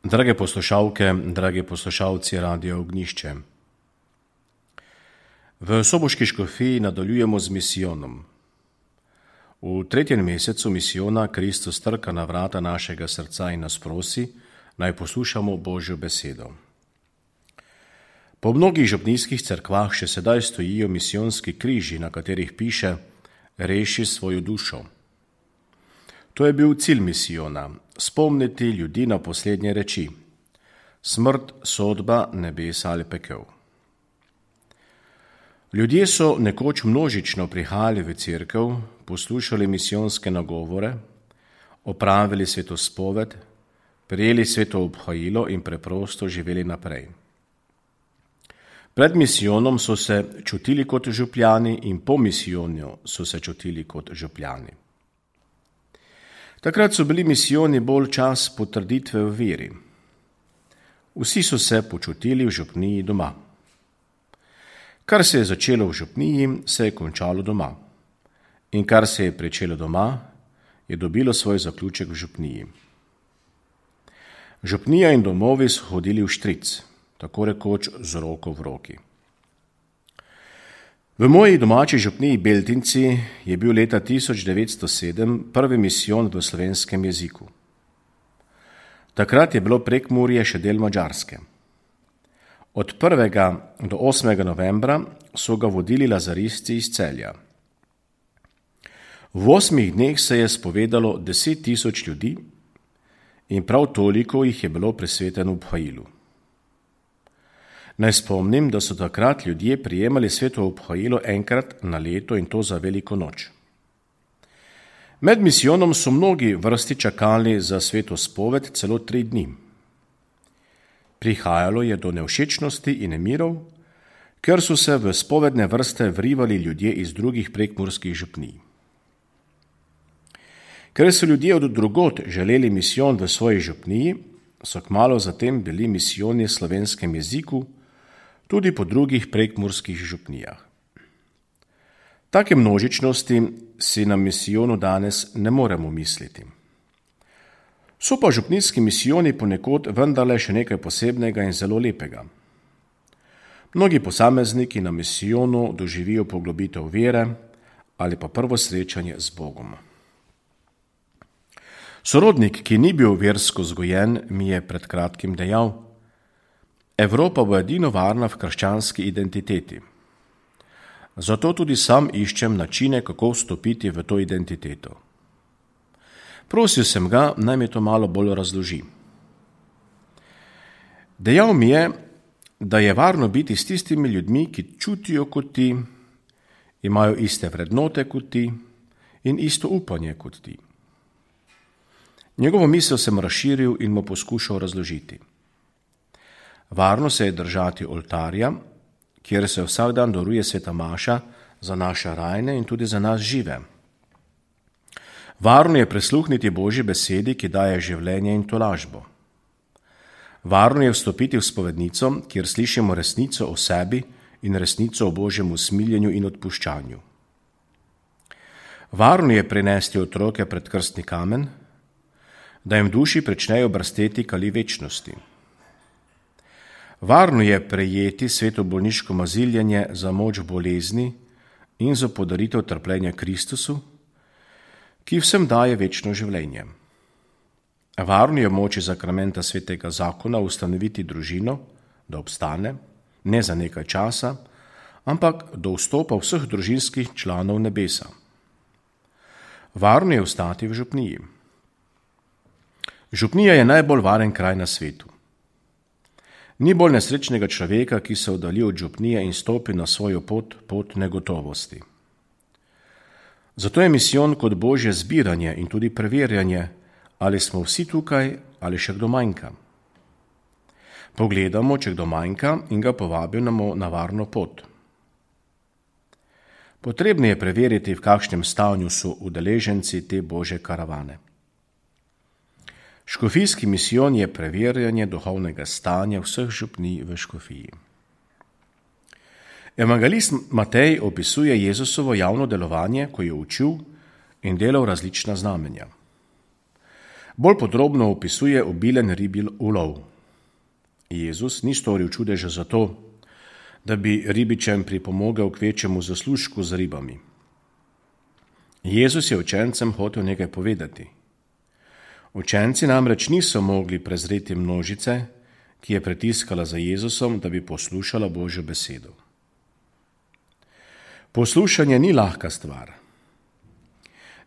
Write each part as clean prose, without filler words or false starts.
Drage poslušalke, dragi poslušalci Radia Ognjišče. V Soboški škofiji nadaljujemo z misijonom. V 3. mesecu misijona Kristus trka na vrata našega srca in nas prosi, naj poslušamo Božjo besedo. Po mnogih župnijskih cerkvah še sedaj stojijo misijonski križi, na katerih piše: reši svojo dušo. To je bil cilj misijona, spomniti ljudi na poslednje reči: smrt, sodba, nebesa ali pekel. Ljudje so nekoč množično prihajali v cerkev, poslušali misijonske nagovore, opravili svetospoved, prijeli sveto obhajilo in preprosto živeli naprej. Pred misijonom so se čutili kot župljani in po misijonu so se čutili kot župljani. Takrat so bili misijoni bolj čas potrditve v veri. Vsi so se počutili v župniji doma. Kar se je začelo v župniji, se je končalo doma. In kar se je pričelo doma, je dobilo svoj zaključek v župniji. Župnija in domovi so hodili v štric, tako rekoč z roko v roki. V moji domači župniji Beltinci je bil leta 1907 prvi misijon v slovenskem jeziku. Takrat je bilo Prekmurje še del Madžarske. Od 1. do 8. novembra so ga vodili lazaristi iz Celja. V 8 dneh se je spovedalo 10 000 ljudi in prav toliko jih je bilo presveteno v obhajilu. Naj spomnim, da so takrat ljudje prijemali sveto obhajilo enkrat na leto in to za veliko noč. Med misijonom so mnogi vrsti čakali za sveto spoved celo 3 dni. Prihajalo je do nevšečnosti in nemirov, ker so se v spovedne vrste vrivali ljudje iz drugih prekmurskih župnij. Ker so ljudje od drugod želeli misijon v svoji župniji, so kmalu zatem bili misijoni v slovenskem jeziku tudi po drugih prekmurskih župnijah. Take množičnosti si na misijonu danes ne moremo misliti. So pa župnijski misijoni ponekod vendarle še nekaj posebnega in zelo lepega. Mnogi posamezniki na misijonu doživijo poglobitev vere ali pa prvo srečanje z Bogom. Sorodnik, ki ni bil versko vzgojen, mi je pred kratkim dejal: Evropa bo edino varna v krščanski identiteti. Zato tudi sam iščem načine, kako vstopiti v to identiteto. Prosil sem ga, naj mi to malo bolj razloži. Dejal mi je, da je varno biti s tistimi ljudmi, ki čutijo kot ti, imajo iste vrednote kot ti in isto upanje kot ti. Njegovo misel sem razširil in mu poskušal razložiti. Varno se je držati oltarja, kjer se vsak dan daruje sveta maša za naše rajne in tudi za nas žive. Varno je prisluhniti Božji besedi, ki daje življenje in tolažbo. Varno je vstopiti v spovednico, kjer slišimo resnico o sebi in resnico o Božjem usmiljenju in odpuščanju. Varno je prinesti otroke pred krstni kamen, da jim duši pričnejo brsteti kali večnosti. Varno je prejeti sveto bolniško maziljenje za moč bolezni in za podaritev trpljenja Kristusu, ki vsem daje večno življenje. Varno je moči zakramenta svetega zakona ustanoviti družino, da obstane, ne za nekaj časa, ampak do vstopa vseh družinskih članov nebesa. Varno je ostati v župniji. Župnija je najbolj varen kraj na svetu. Ni bolj nesrečnega človeka, ki se oddalji od župnije in stopi na svojo pot negotovosti. Zato je misijon kot Božje zbiranje in tudi preverjanje, ali smo vsi tukaj ali še kdo manjka. Pogledamo, če kdo manjka in ga povabimo na varno pot. Potrebno je preveriti, v kakšnem stanju so udeleženci te Božje karavane. Škofijski misijon je preverjanje duhovnega stanja vseh župnij v škofiji. Evangelist Matej opisuje Jezusovo javno delovanje, ko je učil in delal različna znamenja. Bolj podrobno opisuje obilen ribji ulov. Jezus ni storil čudeža zato, da bi ribičem pripomogel k večjemu zaslužku z ribami. Jezus je učencem hotel nekaj povedati. Učenci namreč niso mogli prezreti množice, ki je pritiskala za Jezusom, da bi poslušala Božjo besedo. Poslušanje ni lahka stvar.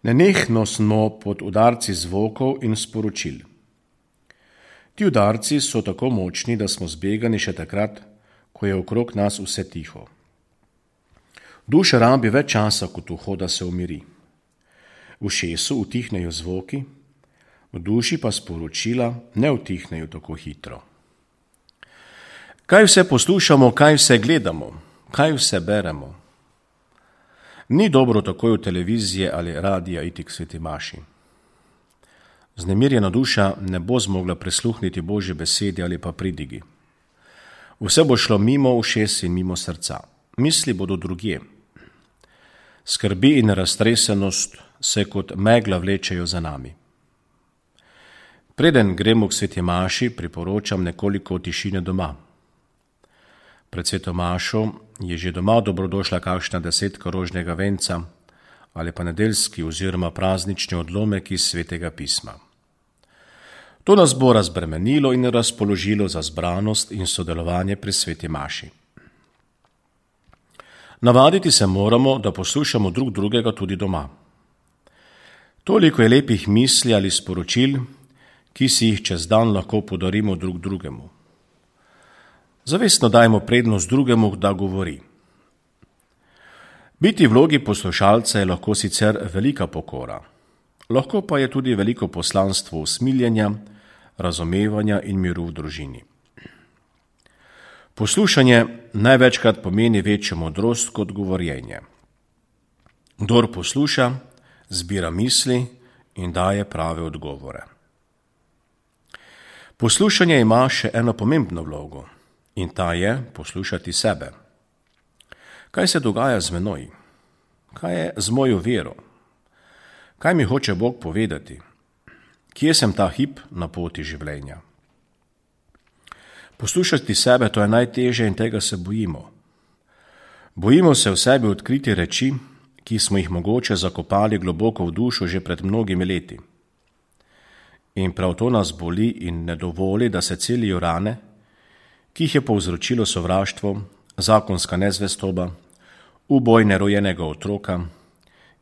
Nenehno smo pod udarci zvokov in sporočil. Ti udarci so tako močni, da smo zbegani še takrat, ko je okrog nas vse tiho. Duša rabi več časa kot uho, da se umiri. V ušesu utihnejo zvoki, v duši pa sporočila ne utihnejo tako hitro. Kaj vse poslušamo, kaj vse gledamo, kaj vse beremo? Ni dobro takoj v televizije ali radija iti k sveti maši. Znemirjena duša ne bo zmogla prisluhniti Božji besedi ali pa pridigi. Vse bo šlo mimo ušes in mimo srca. Misli bodo drugje. Skrbi in raztresenost se kot megla vlečejo za nami. Preden gremo k sveti maši, priporočam nekoliko tišine doma. Pred sveto mašo je že doma dobrodošla kakšna 10 rožnega venca ali pa nedeljski oziroma praznični odlomek iz svetega pisma. To nas bo razbremenilo in razpoložilo za zbranost in sodelovanje pri sveti maši. Navaditi se moramo, da poslušamo drug drugega tudi doma. Toliko je lepih misli ali sporočil, ki si jih čez dan lahko podarimo drug drugemu. Zavestno dajmo prednost drugemu, da govori. Biti v vlogi poslušalca je lahko sicer velika pokora, lahko pa je tudi veliko poslanstvo usmiljenja, razumevanja in miru v družini. Poslušanje največkrat pomeni večjo modrost kot govorjenje. Kdor posluša, zbira misli in daje prave odgovore. Poslušanje ima še eno pomembno vlogo in ta je poslušati sebe. Kaj se dogaja z menoj? Kaj je z mojo vero? Kaj mi hoče Bog povedati? Kje sem ta hip na poti življenja? Poslušati sebe, to je najtežje in tega se bojimo. Bojimo se v sebi odkriti reči, ki smo jih mogoče zakopali globoko v dušo že pred mnogimi leti. In prav to nas boli in ne dovoli, da se celijo rane, ki jih je povzročilo sovraštvo, zakonska nezvestoba, uboj nerojenega otroka,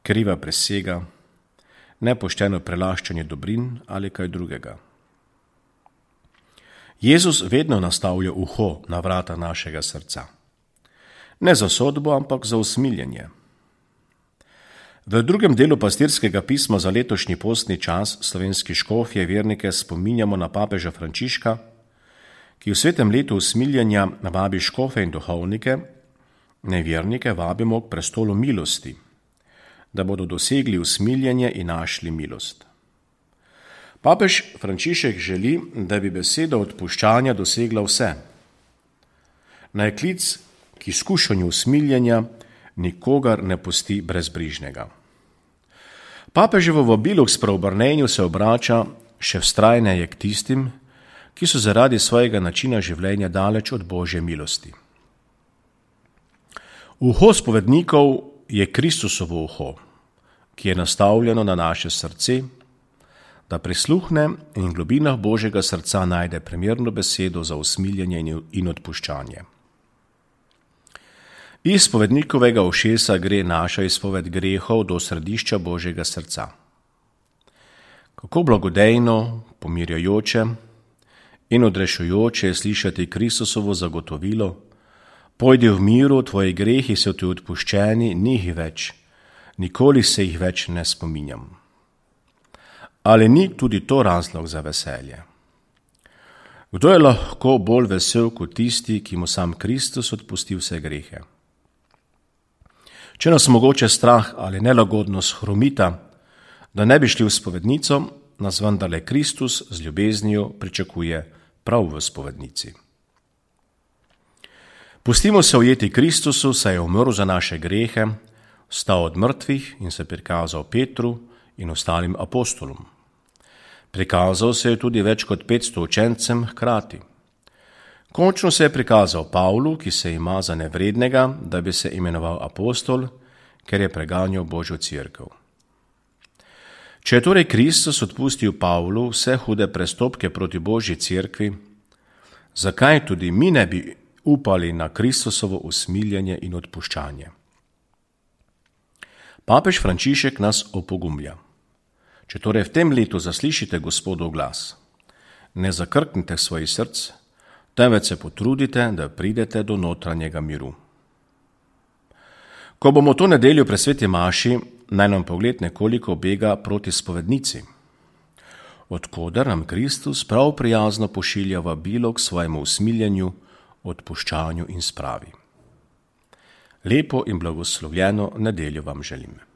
kriva prisega, nepošteno prelaščanje dobrin ali kaj drugega. Jezus vedno nastavlja uho na vrata našega srca. Ne za sodbo, ampak za usmiljenje. V drugem delu pastirskega pisma za letošnji postni čas slovenski škofje vernike spominjamo na papeža Frančiška, ki v svetem letu usmiljenja vabi škofe in duhovnike, nevernike vabimo k prestolu milosti, da bodo dosegli usmiljenje in našli milost. Papež Frančišek želi, da bi beseda odpuščanja dosegla vse. Naj klic k izkušanju usmiljenja nikogar ne pusti brezbrižnega. Papeževo vabilo k spreobrnenju se obrača še vztrajneje k tistim, ki so zaradi svojega načina življenja daleč od Božje milosti. Uho spovednikov je Kristusovo uho, ki je nastavljeno na naše srce, da prisluhne in v globinah Božjega srca najde primerno besedo za usmiljenje in odpuščanje. Iz spovednikovega ušesa gre naša izpoved grehov do središča Božjega srca. Kako blagodejno, pomirjajoče in odrešujoče je slišati Kristusovo zagotovilo: pojdi v miru, tvoji grehi so ti odpuščeni, ni jih več, nikoli se jih več ne spominjam. Ali ni tudi to razlog za veselje? Kdo je lahko bolj vesel kot tisti, ki mu sam Kristus odpusti vse grehe? Če nas mogoče strah ali nelagodnost hromita, da ne bi šli v spovednico, nas vendarle Kristus z ljubeznijo pričakuje prav v spovednici. Pustimo se ujeti Kristusu, saj je umrl za naše grehe, vstal od mrtvih in se prikazal Petru in ostalim apostolom. Prikazal se je tudi več kot 500 učencem hkrati. Končno se je prikazal Pavlu, ki se ima za nevrednega, da bi se imenoval apostol, ker je preganjal Božjo cerkev. Če je torej Kristus odpustil Pavlu vse hude prestopke proti Božji cerkvi, zakaj tudi mi ne bi upali na Kristusovo usmiljenje in odpuščanje? Papež Frančišek nas opogumlja. Če torej v tem letu zaslišite Gospodov glas, ne zakrknite svojih src, temveč se potrudite, da pridete do notranjega miru. Ko bomo to nedeljo pri sveti maši, naj nam pogled nekoliko bega proti spovednici, odkoder nam Kristus prav prijazno pošilja vabilo k svojemu usmiljenju, odpuščanju in spravi. Lepo in blagoslovljeno nedeljo vam želim.